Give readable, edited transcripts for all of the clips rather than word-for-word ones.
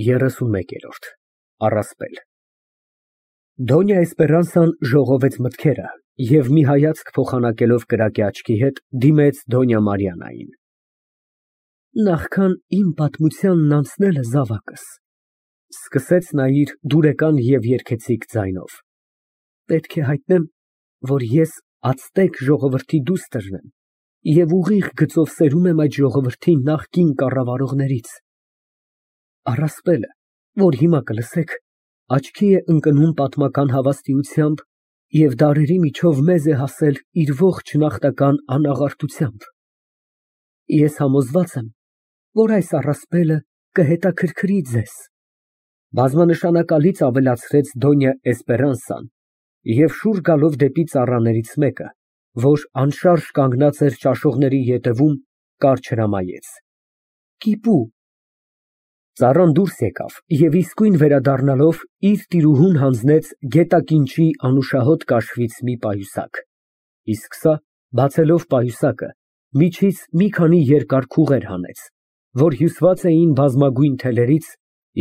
31 Առասպել Դոնյա Էսպերանսան ժողովեց մտքերը և մի հայացք փոխանակելով կրակի աչքի հետ, դիմեց Դոնյա Մարիաննային։ Նախքան իմ պատմությանն անցնելը, զավակս, սկսեց նա իր դուրեկան և երգեցիկ ձայնով, պետք է հայտնեմ, որ ես ացտեկ ժողովրդի դուստրն եմ և ուղիղ գծով սերում եմ այդ ժողովրդի նախկին կառավարողներից։ Առասպելը, որ հիմա կլսեք, աչքի է ընկնում պատմական հավաստիությամբ և դարերի միջով մեզ է հասել իր ողջ նախնական անաղարտությամբ։ Ես համոզված եմ, որ այս առասպելը կհետաքրքրի ձեզ։ Բազմանշանակալից ավելացրեց Դոնյա Էսպերանսան և շուռ գալով դեպի ծառաներից մեկը, որ անշարժ կանգնած էր ճաշողների ետևում, կարճ հրամայեց. Կիպու։ Ծառան դուրս եկավ և իսկույն վերադառնալով իր տիրուհուն հանձնեց գետակինչի անուշահոտ կաշվից մի պայուսակ, իսկ սա, բացելով պայուսակը, միջից մի քանի երկար քուղեր հանեց, որ հյուսված էին բազմագույն թելերից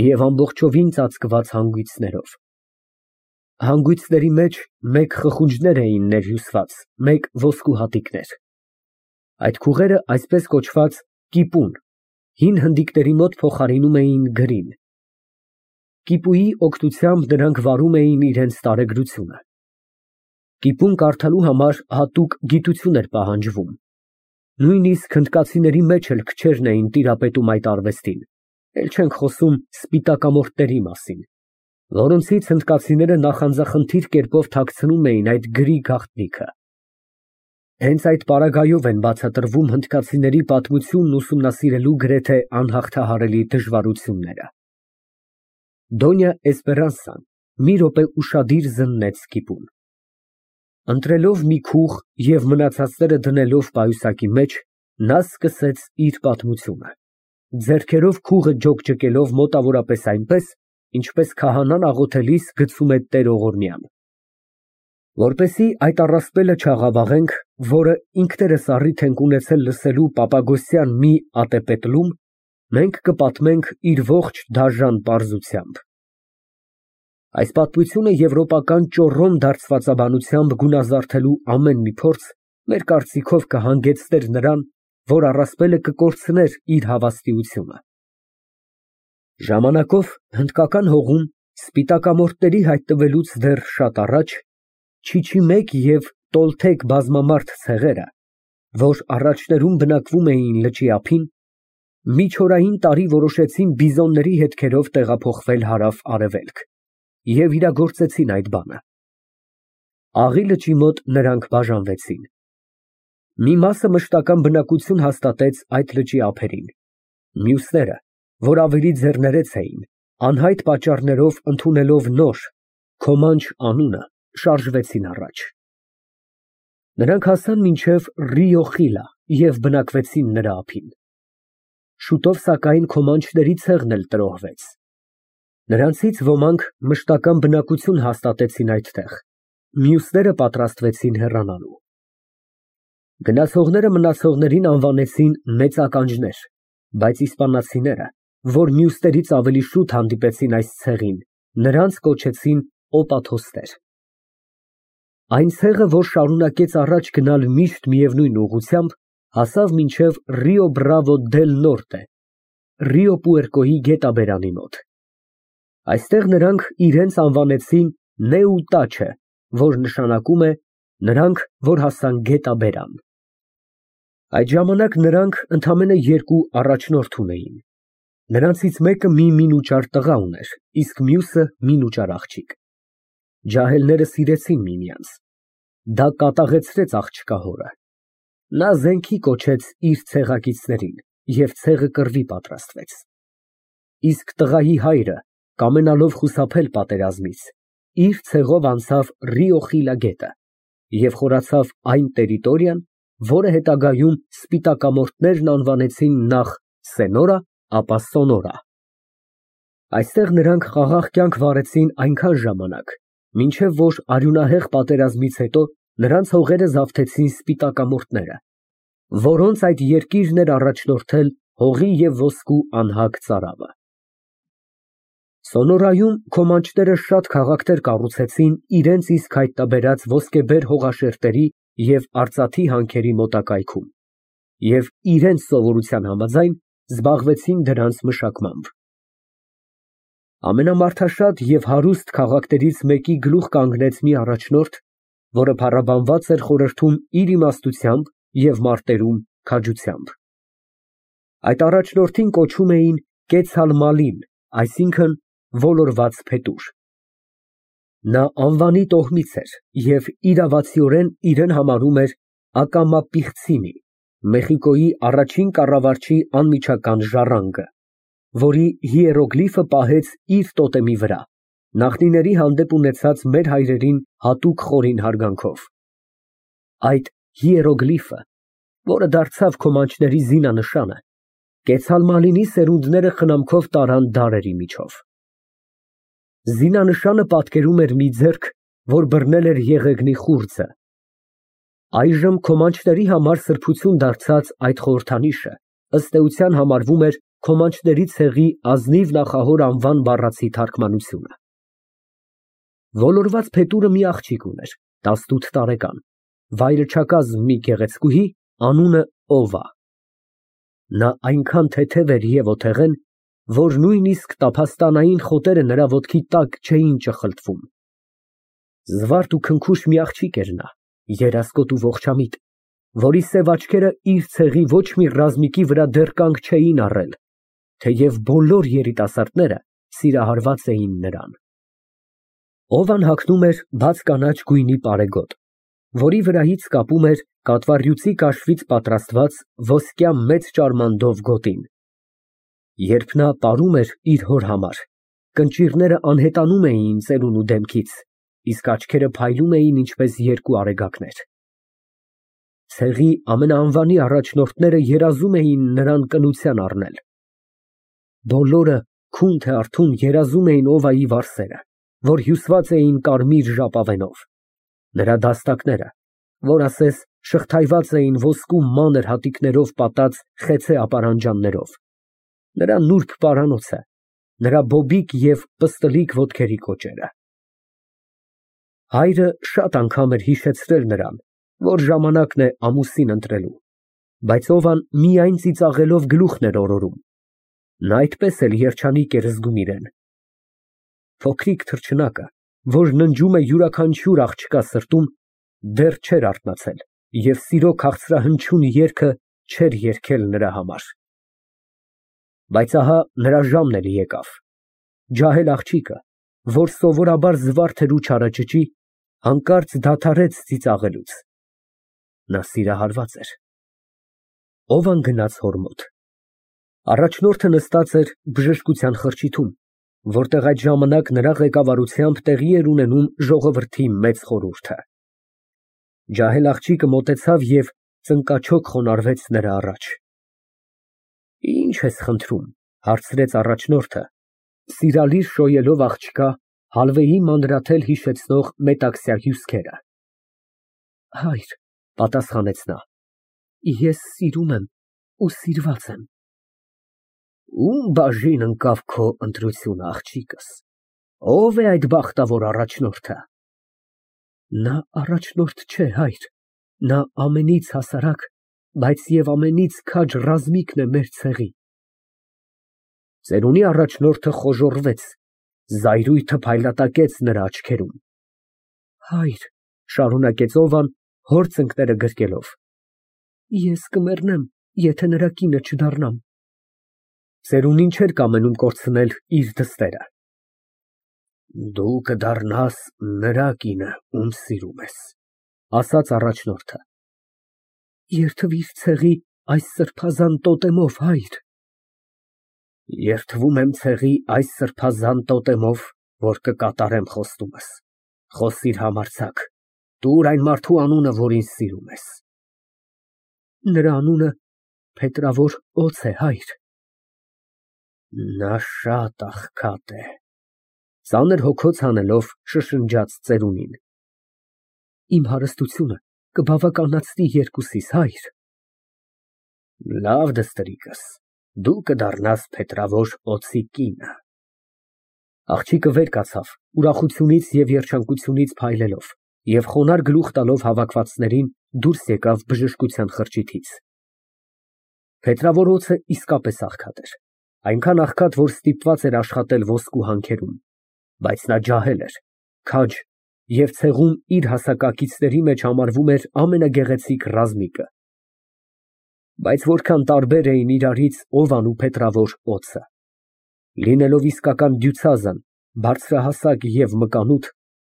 և ամբողջովին ծածկված հանգույցներով։ Հանգույցների մեջ մեկ խխունջներ էին ներհյուսված, մեկ ոսկու հատիկներ։ Այդ քուղերը այսպես կոչված կիպուն, հին հնդիկների մոտ փոխարինում էին գրին։ Կիպուի օգնությամբ նրանք վարում էին իրենց տարեգրությունը։ Կիպուն կարդալու համար հատուկ գիտություն էր պահանջվում։ Նույնիսկ հնդկացիների մեջ էլ քչերն էին տիրապետում այդ արվեստին, էլ չենք խոսում սպիտակամորթների մասին, որոնցից հնդկացիները նախանձախնդիր կերպով թաքցնում էին այդ գրի գաղտնիքը։ Հենց այդ պարագայով են բացատրվում հնդկացիների պատմությունն ուսումնասիրելու գրեթե անհաղթահարելի դժվարությունները։ Դոնյա Էսպերանսան մի րոպե ուշադիր զննեց կիպուն։ Ընտրելով մի քուղ և մնացածները դնելով պայուսակի մեջ, նա սկսեց իր պատմությունը, ձեռքերով քուղը ջոկջկելով մոտավորապես այնպես, ինչպես քահանան աղոթելիս գցում է տերողորմյան։ Որպեսզի այդ առասպելը չաղավաղենք, որը ինքներս առիթ ենք ունեցել լսելու Պապագոսյան մի ատեպետլում, մենք կպատմենք իր ողջ դաժան պարզությամբ։ Այս պատմությունը եվրոպական ճոռոմ դարձվածաբանությամբ գունազարդելու ամեն մի փորձ, մեր կարծիքով, կհանգեցներ նրան, որ առասպելը կկորցներ իր հավաստիությունը։ Ժամանակով հնդկական հողում սպիտակամորթների հայտնվելուց դեռ շատ առաջ Չիչիմեկ և Տոլթեկ բազմամարդ ցեղերը, որ առաջներում բնակվում էին լճի ափին, միջօրային տարի որոշեցին բիզոնների հետքերով տեղափոխվել հարավ֊արևելք և իրագործեցին այդ բանը։ Աղի լճի մոտ նրանք բաժանվեցին։ Մի մասը մշտական բնակություն հաստատեց այդ լճի ափերին, մյուսները, որ ավելի ձեռներեց էին, անհայտ պատճառներով ընդունելով նոր Քոմանչ անունը, շարժվեցին առաջ։ Նրանք հասան մինչև Ռիո Խիլա և բնակվեցին նրա ափին։ Շուտով, սակայն, քոմանչների ցեղն էլ տրոհվեց։ Նրանցից ոմանք մշտական բնակություն հաստատեցին այդտեղ, մյուսները պատրաստվեցին հեռանալու։ Գնացողները մնացողներին անվանեցին մեծ ականջներ, բայց իսպանացիները, որ մյուսներից ավելի շուտ հանդիպեցին այս ցեղին, նրանց կոչեցին օպաթոստեր։ Այն ցեղը, որ շարունակեց առաջ գնալ միշտ միևնույն ուղղությամբ, հասավ մինչև Ռիո Բրավո դել Նորտե, Ռիո Պուերկոյի գետաբերանի մոտ։ Այստեղ նրանք իրենց անվանեցին Նեուտաչե, որ նշանակում է նրանք, որ հասան գետաբերան։ Այդ ժամանակ նրանք ընդամենը երկու առաջնորդ ունեին։ Նրանցից մեկը մի մինուճար տղա ուներ, իսկ մյուսը մինուճար աղջիկ։ Ջահելները սիրեցին միմյանց։ Դա կատաղեցրեց աղջկա հորը։ Նա զենքի կոչեց իր ցեղակիցներին և ցեղը կռվի պատրաստվեց։ Իսկ տղայի հայրը, կամենալով խուսափել պատերազմից, իր ցեղով անցավ Ռիո Խիլա գետը և խորացավ այն տերիտորիան, որը հետագայում սպիտակամորթներն անվանեցին նախ Սենորա, ապա Սոնորա։ Այստեղ նրանք խաղաղ կյանք վարեցին այնքան ժամանակ, մինչև որ արյունահեղ պատերազմից հետո նրանց հողերը զավթեցին սպիտակամորթները, որոնց այդ երկիրն էր առաջնորդել հողի և ոսկու անհագ ծարավը։ Սոնորայում քոմանչները շատ քաղաքներ կառուցեցին իրենց իսկ հայտնաբերած ոսկեբեր հողաշերտերի և արծաթի հանքերի մոտակայքում և իրենց սովորության համաձայն զբաղվեցին դրանց մշակմամբ։ Ամենամարդաշատ և հարուստ քաղաքներից մեկի գլուխ կանգնեց մի առաջնորդ, որը փառաբանված էր խորհրդում իր իմաստությամբ և մարտերում քաջությամբ։ Այդ առաջնորդին կոչում էին Կեցալմալին, այսինքն՝ ոլորված փետուր։ Նա անվանի տոհմից էր և իրավացիորեն իրեն համարում էր Ակամապիղծիմի, Մեխիկոյի առաջին կառավարչի անմիջական ժառանգը, որի հիերոգլիֆը պահեց իր տոտեմի վրա, նախնիների հանդեպ ունեցած մեր հայրերին հատուկ խորին հարգանքով։ Այդ հիերոգլիֆը, որը դարձավ քոմանչների զինանշանը, Կեցալմալինի սերունդները խնամքով տարան դարերի միջով։ Զինանշանը պատկերում էր մի ձեռք, որ բռնել էր եղեգնի խուրձը։ Այժմ քոմանչների համար սրբություն դարձած այդ խորհրդանիշը ըստ էության համարվում էր քոմանչների ցեղի ազնիվ նախահոր անվան բառացի թարգմանությունը։ Ոլորված փետուրը մի աղջիկ ուներ, 18 տարեկան, վայրը չակազմ մի գեղեցկուհի, անունը Օվա։ Նա այնքան թեթև էր և ոթեղեն, որ նույնիսկ տափաստանային խոտերը նրա ոտքի տակ չէին ճխլտվում։ Զվարթ ու քնքուշ մի աղջիկ էր նա, երասկոտ ու ողջամիտ, որի սև աչքերը իր ցեղի ոչ մի ռազմիկի վրա դեռ կանգ չէին առել, թեև բոլոր երիտասարդները սիրահարված էին նրան։ Օվան հագնում էր բաց կանաչ գույնի պարեգոտ, որի վրայից կապում էր կատվառյուծի կաշվից պատրաստված ոսկյա մեծ ճարմանդով գոտին։ Երբ նա պարում էր իր հոր համար, կնճիռները անհետանում էին ծերունու դեմքից, իսկ աչքերը փայլում էին ինչպես երկու արեգակներ։ Ցեղի ամենաանվանի առաջնորդները երազում էին նրան կնության առնել։ Բոլորը քուն թե արթուն երազում էին Օվայի վարսերը, որ հյուսված էին կարմիր ժապավենով, նրա դաստակները, որ ասես շղթայված էին ոսկու մանր հատիկներով պատած խեցե ապարանջաններով, նրա նուրբ պարանոցը, նրա բոբիկ և պստլիկ ոտքերի կոճերը։ Հայրը շատ անգամ էր հիշեցրել նրան, որ ժամանակն է ամուսին ընտրելու, բայց Օվան միայն ծիծաղելով գլուխն էր օրորում։ Նա այդպես էլ երջանիկ էր զգում իրեն։ Փոքրիկ թռչնակը, որ ննջում է յուրաքանչյուր աղջկա սրտում, դեռ չէր արթնացել և սիրո քաղցրահնչյուն երգը չէր երգել նրա համար։ Բայց ահա նրա ժամն էլ եկավ։ Ջահել աղջիկը, որ սովորաբար զվարթ էր ու չարաճճի, հանկարծ դադարեց ծիծաղելուց։ Նա սիրահարված էր։ Օվան գնաց հոր մոտ։ Առաջնորդը նստած էր բժշկության խրճիթում, որտեղ այդ ժամանակ նրա ղեկավարությամբ տեղի էր ունենում ժողովրդի մեծ խորհուրդը։ Ջահել աղջիկը մոտեցավ և ծնկաչոք խոնարհվեց նրա առաջ։ Ի՞նչ ես խնդրում, հարցրեց առաջնորդը, սիրալիր շոյելով աղջկա հալվեի մանրաթել հիշեցնող մետաքսյա հյուսքերը։ Հայր, պատասխանեց նա, ես սիրում եմ ու սիրված եմ։ Ում բաժին ընկավ քո ընտրությունը, աղջիկս, ով է այդ բախտավոր առաջնորդը։ Նա առաջնորդ չէ, հայր, նա ամենից հասարակ, բայց և ամենից քաջ ռազմիկն է մեր ցեղի։ Ծերունի առաջնորդը խոժոռվեց, զայրույթը փայլատակեց նրա աչքերում։ Հայր, շարունակեց Օվան, հոր ծնկները գրկելով, ես կմեռնեմ, եթե նրա կինը չդառնամ։ Ծերունին չէր կամենում կորցնել իր դստերը։ Դու կդառնաս նրա կինը, ում սիրում ես, ասաց առաջնորդը։ Երդվիր ցեղի այս սրբազան տոտեմով, հայր։ Երդվում եմ ցեղի այս սրբազան տոտեմով, որ կկատարեմ խոստումս։ Խոսիր համարձակ, տուր այն մարդու անունը, որին սիրում ես։ Նրա անունը Փետրավոր Օց է, հայր։ Նա շատ աղքատ է, ծանր հոգոց հանելով շշնջաց ծերունին։ Իմ հարստությունը կբավականացնի երկուսիս, հայր։ Լավ, դստերիկս, դու կդառնաս Փետրավոր Օձի կինը։ Աղջիկը վեր կացավ, ուրախությունից և երջանկությունից փայլելով, և խոնարհ գլուխ տալով հավաքվածներին դուրս եկավ բժշկության խրճիթից։ Փետրավոր օձը իսկապես աղքատ էր, այնքան աղքատ, որ ստիպված էր աշխատել ոսկու հանքերում, բայց նա ջահել էր, քաջ և ցեղում իր հասակակիցների մեջ համարվում էր ամենագեղեցիկ ռազմիկը։ Բայց որքան տարբեր էին իրարից Օվան ու փետրավոր օձը։ Լինելով իսկական դյուցազն, բարձրահասակ և մկանուտ,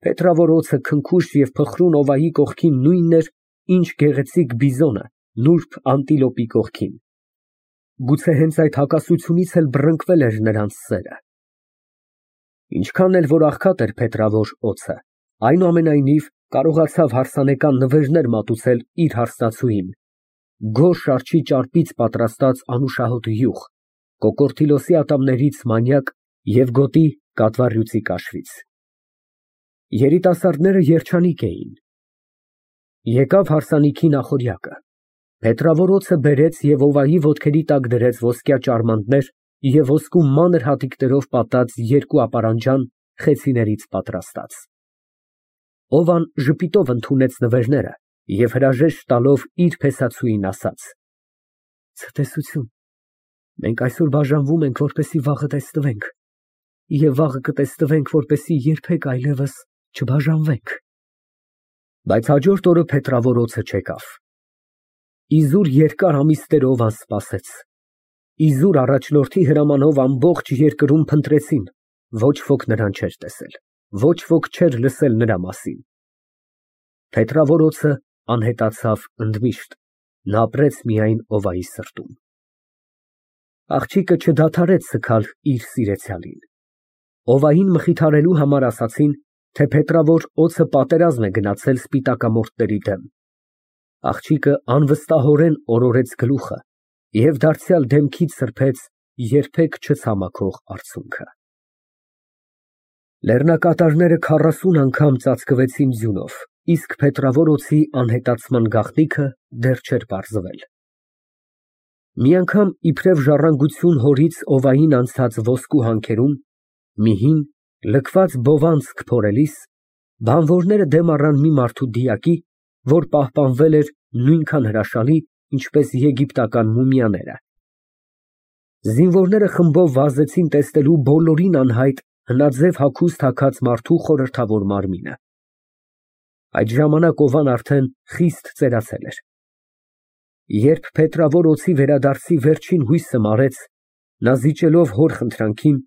փետրավոր օձը քնքուշ և փխրուն Օվայի կողքին նույնն էր, ինչ գեղեցիկ բիզոնը նուրբ անտիլոպի կողքին։ Գուցե հենց այդ հակասությունից էլ բռնկվել էր նրանց սերը։ Ինչքան էլ որ աղքատ էր փետրավոր օձը, այնուամենայնիվ կարողացավ հարսանեկան նվերներ մատուցել իր հարսնացուին, գորշ արջի ճարպից պատրաստած անուշահոտ յուղ, կոկորդիլոսի ատամներից մանյակ և գոտի կատվառյուծի կաշվից։ Երիտասարդները երջանիկ էին։ Եկավ հարսանիքի նախօրյակը։ Փետրավոր օձը բերեց և Օվայի ոտքերի տակ դրեց ոսկյա ճարմանտներ և ոսկու մանր հատիկներով պատած երկու ապարանջան խեցիներից պատրաստած։ Օվան ժպիտով ընդունեց նվերները և հրաժեշտ տալով իր փեսացուին ասաց. Ցտեսություն, մենք այսօր բաժանվում ենք, որպեսզի վաղը տեսնվենք, և վաղը կտեսնվենք, որպեսզի երբեք այլևս չբաժանվենք։ Բայց հաջորդ օրը փետրավոր օձը չեկավ։ Իզուր երկար ամիսներ Օվան սպասեց։ Իզուր առաջնորդի հրամանով ամբողջ երկրում փնտրեցին, ոչ ոք նրան չէր տեսել, ոչ ոք չէր լսել նրա մասին։ Փետրավոր օձը անհետացավ ընդմիշտ, նա ապրեց միայն Օվայի սրտում։ Աղջիկը չդադարեց սգալ իր սիրեցյալին։ Օվային մխիթարելու համար ասացին, թե փետրավոր օձը պատերազմ է գնացել սպիտակամորթների դեմ։ Աղջիկը անվստահորեն օրորեց գլուխը և դարձյալ դեմքից սրբեց երբեք չցամաքող արցունքը։ Լեռնակատարները 40 անգամ ծածկվեցին ձյունով, իսկ փետրավոր օձի անհետացման գաղտնիքը դեռ չէր պարզվել։ Մի անգամ իբրև ժառանգություն հորից Օվային անցած ոսկու հանքերում, մի հին, լքված բովանցք փորելիս, բանվորները դեմ առան մի մարդու դիակի, որ պահպանվել էր նույնքան հրաշալի, ինչպես եգիպտական մումիաները։ Զինվորները խմբով վազեցին տեսնելու բոլորին անհայտ հնաձև հագուստ հագած մարդու խորհրդավոր մարմինը։ Այդ ժամանակ Օվան արդեն խիստ ծերացել էր։ Երբ փետրավոր օձի վերադարձի վերջին հույսը մարեց, նա զիջելով հոր խնդրանքին,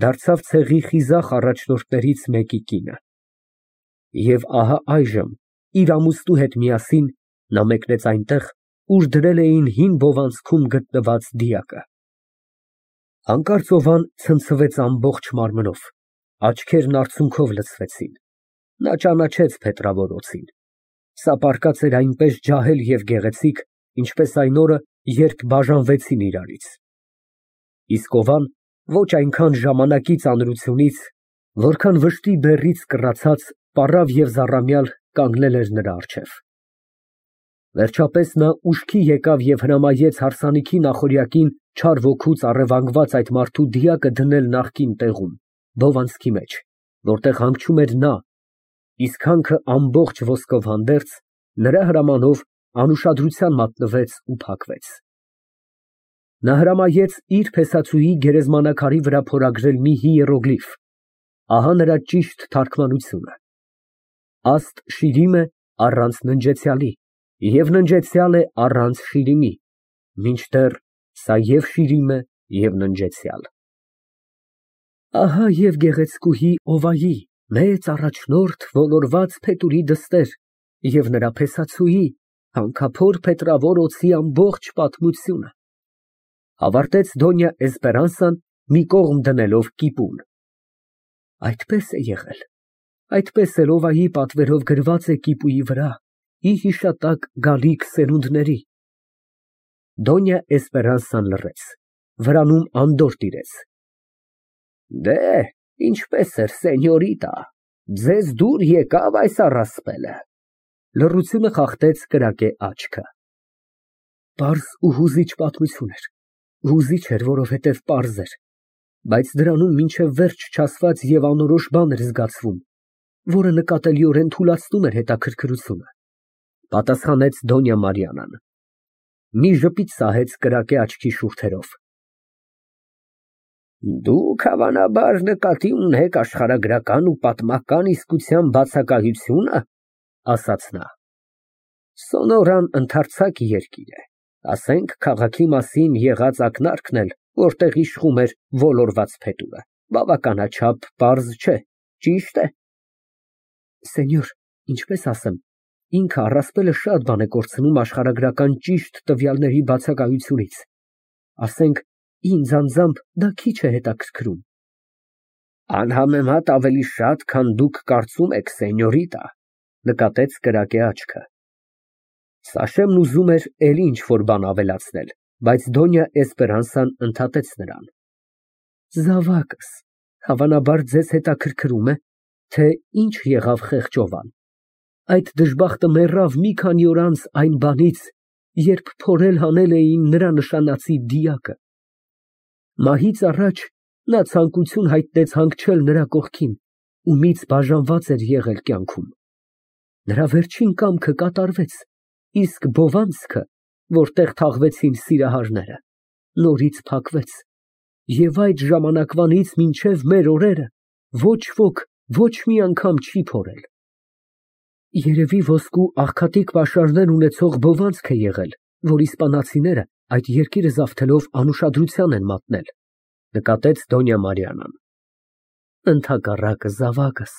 դարձավ ցեղի խիզախ առաջնորդներից մեկի կինը։ Եվ ահա այժմ, իր ամուսնու հետ միասին, նա մեկնեց այնտեղ, ուր դրել էին հին բովանցքում գտնված դիակը։ Հանկարծ Օվան ցնցվեց ամբողջ մարմնով, աչքերն արցունքով լցվեցին։ Նա ճանաչեց փետրավոր օձին։ Սա պառկած էր այնպես ջահել և գեղեցիկ, ինչպես այն օրը, երբ բաժանվեցին իրարից։ Իսկ Օվան ոչ այնքան ժամանակի ծանրությունից, որքան վշտի բեռից կռացած, պառավ և զառամյալ կանգնել էր նրա առջև։ Վերջապես նա ուշքի եկավ և հրամայեց հարսանիքի նախօրյակին չար ոգուց առևանգված այդ մարդու դիակը դնել նախկին տեղում, բովանցքի մեջ, որտեղ հանգչում էր նա, իսկ հանքը ամբողջ ոսկով հանդերձ, նրա հրամանով անուշադրության մատնվեց ու փակվեց։ Նա հրամայեց իր փեսացուի գերեզմանակարի վրա փորագրել մի հիերոգլիֆ, ահա նրա ճիշտ թարգմանությունը. Աստ շիրիմ է առանց ննջեցյալի, և ննջեցյալ է առանց շիրիմի, մինչդեռ սա և շիրիմ է, և ննջեցյալ։ Ահա և գեղեցկուհի Օվայի, մեծ առաջնորդ ոլորված փետուրի դստեր և նրա փեսացուի, հանքափոր փետրավոր օձի ամբողջ պատմությունը, ավարտեց Դոնյա Էսպերանսան, մի կողմ դնելով կիպուն։ Այդպես է եղել, այդպես էլ Օվայի պատվերով գրված է կիպուի վրա, ի հիշատակ գալիք սերունդների։ Դոնյա Էսպերանսան լռեց, վրանում անդորր տիրեց։ Ինչպես էր, սենյորիտա, ձեզ դուր եկավ այս առասպելը։ Լռությունը խախտեց կրակե աչքը։ Պարզ ու հուզիչ պատմություն էր, հուզիչ էր, որովհետև պարզ էր։ բայց դրանում մինչև վերջ չասված և անորոշ բան էր զգացվում, որը նկատելիորեն թուլացնում էր հետաքրքրությունը։ Պատասխանեց Դոնյա Մարիանան։ Մի ժպիտ սահեց կրակե աչքի շուրթերով։ Դուք հավանաբար նկատի ունեք աշխարհագրական ու պատմական իսկության բացակայությո՞ւնը, ասաց նա։ Սոնորան ընդարձակ երկիր է, ասենք քաղաքի մասին եղած ակնարկն էլ, որտեղ իշխում էր ոլորված փետուրը, բավականաչափ պարզ չէ, ճի՞շտ է։ Սենյոր, ինչպես ասեմ, ինքը առասպելը շատ բան է կորցնում աշխարհագրական ճիշտ տվյալների բացակայությունից։ Ասենք, ինձ անձամբ դա քիչ է հետաքրքրում։ Անհամեմատ ավելի շատ, քան դուք կարծում եք, սենյորիտա, նկատեց կրակե աչքը։ Սաշեմն ուզում էր էլի ինչ-որ բան ավելացնել, բայց Դոնյա Էսպերանսան ընդհատեց նրան։ Զավակս, հավանաբար ձեզ հետաքրքրում է, թե ինչ եղավ Խեղճովան։ Այդ դժբախտը մեռավ մի քանի օր անց այն բանից, երբ փորել հանել էին նրա նշանածի դիակը։ Մահից առաջ նա ցանկություն հայտնեց հանգչել նրա կողքին ու միծ բաժանված էր եղել կյանքում։ Նրա վերջին կամքը կատարվեց, իսկ Բովանցքը, որտեղ թաղվեցին սիրահարները, նորից փակվեց, և այդ ժամանակվանից մինչև մեր օրերը ոչ ոք ոչ մի անգամ չի փորել։ Երևի ոսկու աղքատիկ պաշարներ ունեցող Բովանցք է եղել, որ իսպանացիները այդ երկիրը զավթելով անուշադրության են մատնել, նկատեց Դոնյա Մարիանան։ Ընդհակառակը, զավակս,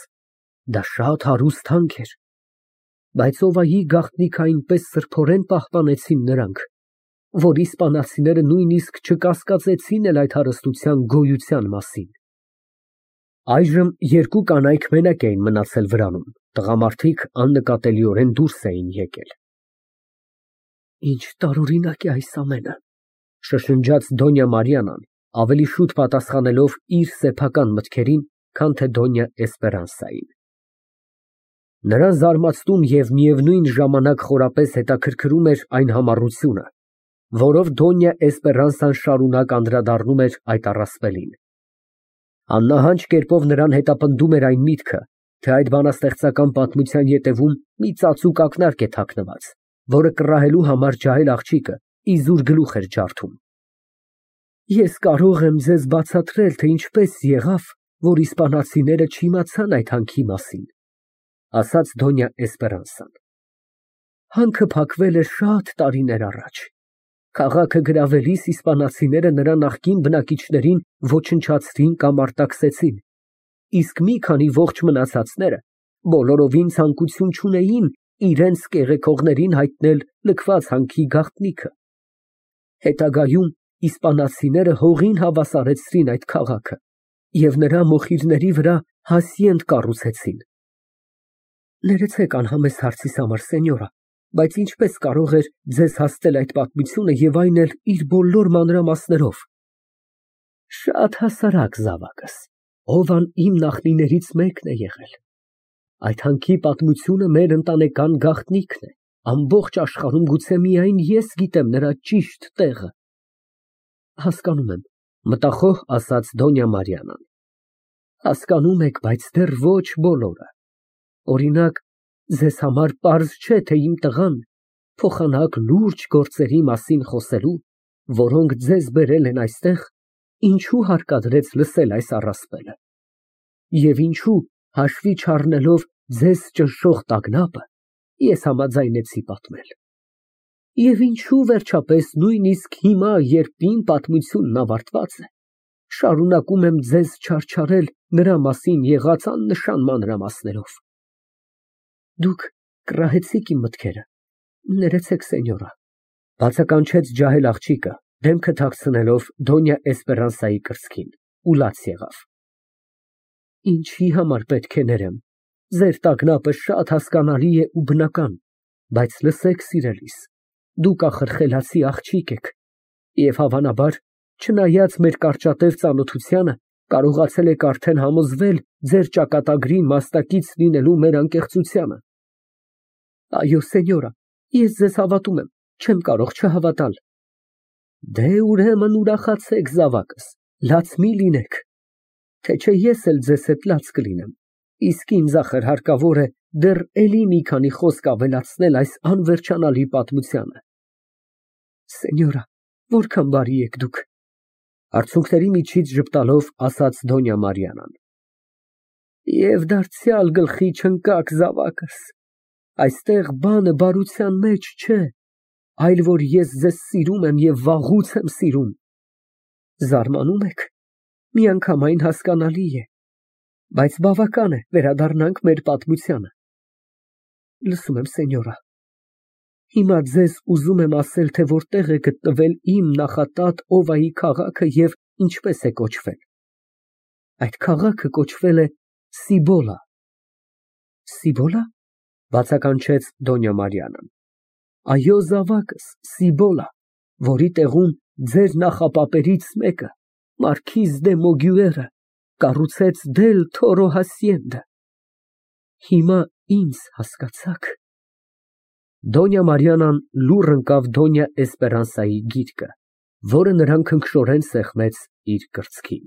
դա շատ հարուստ հանք էր, բայց Սովայի գաղտնիքը այնպես սրբորեն պահպանեցին նրանք, որ իսպանացիները նույնիսկ չկասկածեցին էլ այդ հարստության գոյության մասին։ Այժմ երկու կանայք մենակ էին մնացել վրանում, տղամարդիկ աննկատելիորեն դուրս էին եկել։ Ինչ տարօրինակ է այս ամենը, շշնջաց Դոնյա Մարիանան, ավելի շուտ պատասխանելով իր սեփական մտքերին, քան թե Դոնյա Էսպերանսային։ Նրան զարմացնում և միևնույն ժամանակ խորապես հետաքրքրում էր այն համառությունը, որով Դոնյա Էսպերանսան շարունակ անդրադառնում էր այդ առասպելին։ Աննահանջ կերպով նրան հետապնդում էր այն միտքը, թե այդ բանաստեղծական պատմության ետևում մի ծածուկ ակնարկ է թաքնված, որը կռահելու համար ջահել աղջիկը իզուր գլուխ էր ջարդում։ Ես կարող եմ ձեզ բացատրել, թե ինչպես եղավ, որ իսպանացիները չիմացան այդ հանքի մասին, ասաց Դոնյա Էսպերանսան։ Հանքը փակվել է շատ տարիներ առաջ։ Քաղաքը գրավելիս իսպանացիները նրա նախկին բնակիչներին ոչնչացրին կամ արտաքսեցին, իսկ մի քանի ողջ մնացածները բոլորովին ցանկություն չունեին իրենց կեղեքողներին հայտնել լքված հանքի գաղտնիքը։ Հետագայում իսպանացիները հողին հավասարեցրին այդ քաղաքը և նրա մոխիրների վրա հասցենտ կառուցեցին։ Ներեցեք անհամեստ հարցիս համար, սենյորա, բայց ինչպես կարող էր ձեզ հասցնել այդ պատմությունը և այն էլ իր բոլոր մանրամասներով։ Շատ հասարակ, զավակս, Օվան իմ նախնիներից մեկն է եղել։ Այդ հանքի պատմությունը մեր ընտանեկան գաղտնիքն է, ամբողջ աշխարհում գուցե միայն ես գիտեմ նրա ճիշտ տեղը։ Հասկանում եմ, մտախոհ ասաց Դոնյա Մարիանան։ Հասկանում եք, բայց դեռ ոչ բոլորը։ Օրինակ, ձեզ համար պարզ չէ, թե իմ տղան փոխանակ լուրջ գործերի մասին խոսելու, որոնք ձեզ բերել են այստեղ, ինչու հարկադրեց լսել այս առասպելը։ Եվ ինչու, հաշվի չառնելով ձեզ ճնշող տագնապը, ես համաձայնեցի պատմել։ Եվ ինչու, վերջապես, նույնիսկ հիմա, երբ իմ պատմությունն ավարտված է, շարունակում եմ ձեզ չարչարել նրա մասին եղած աննշան մանրամասներով։ Դուք կռահեցիք իմ մտքերը, ներեցեք, սենյորա, բացականչեց ջահել աղջիկը, դեմքը թաքցնելով Դոնյա Էսպերանսայի կրծքին, ու լաց եղավ։ Ինչի համար պետք է ներեմ, ձեր տագնապը շատ հասկանալի է ու բնական, բայց լսեք, սիրելիս, դուք ախր խելացի աղջիկ եք, և հավանաբար, չնայած մեր կարճատև ծանոթությանը, կարողացել եք արդեն համոզվել ձեր ճակատագրին մասնակից լինելու մեր անկեղծությանը։ Այո, սենյորա, ես ձեզ հավատում եմ, չեմ կարող չհավատալ։ Դե ուրեմն ուրախացեք, զավակս, Լաց մի լինեք, թե չէ ես էլ ձեզ հետ լաց կլինեմ, իսկ ինձ ախր հարկավոր է դեռ էլի մի քանի խոսք ավելացնել այս անվերջանալի պատմությանը։ Սենյորա, որքան բարի եք դուք, արցունքների միջից ժպտալով ասաց Դոնյա Մարիանան։ Եվ դարձյալ գլխի չընկաք զավակս, այստեղ բանը բարության մեջ չէ, այլ որ ես ձեզ սիրում եմ և վաղուց եմ սիրում։ Զարմանում եք, միանգամայն հասկանալի է, բայց բավական է, վերադառնանք մեր պատմությանը։ Լսում եմ, սենյորա, հիմա ձեզ ուզում եմ ասել, թե որտեղ է գտնվել իմ նախատատ Օվայի քաղաքը և ինչպես է կոչվել։ Այդ քաղաքը կոչվել է Սիբոլա։ Սիբոլա, բացականչեց Դոնյա Մարիանան։ Այո, զավակս, Սիբոլա, որի տեղում ձեր նախապապերից մեկը, Մարքիզ դե Մոգյուերը, կառուցեց Դել Թորո հասիենդը։ Հիմա ինձ հասկացա՞ք։ Դոնյա Մարիանան լուռ ընկավ Դոնյա Էսպերանսայի գիրկը, որը նրան քնքշորեն սեղմեց իր կրծքին։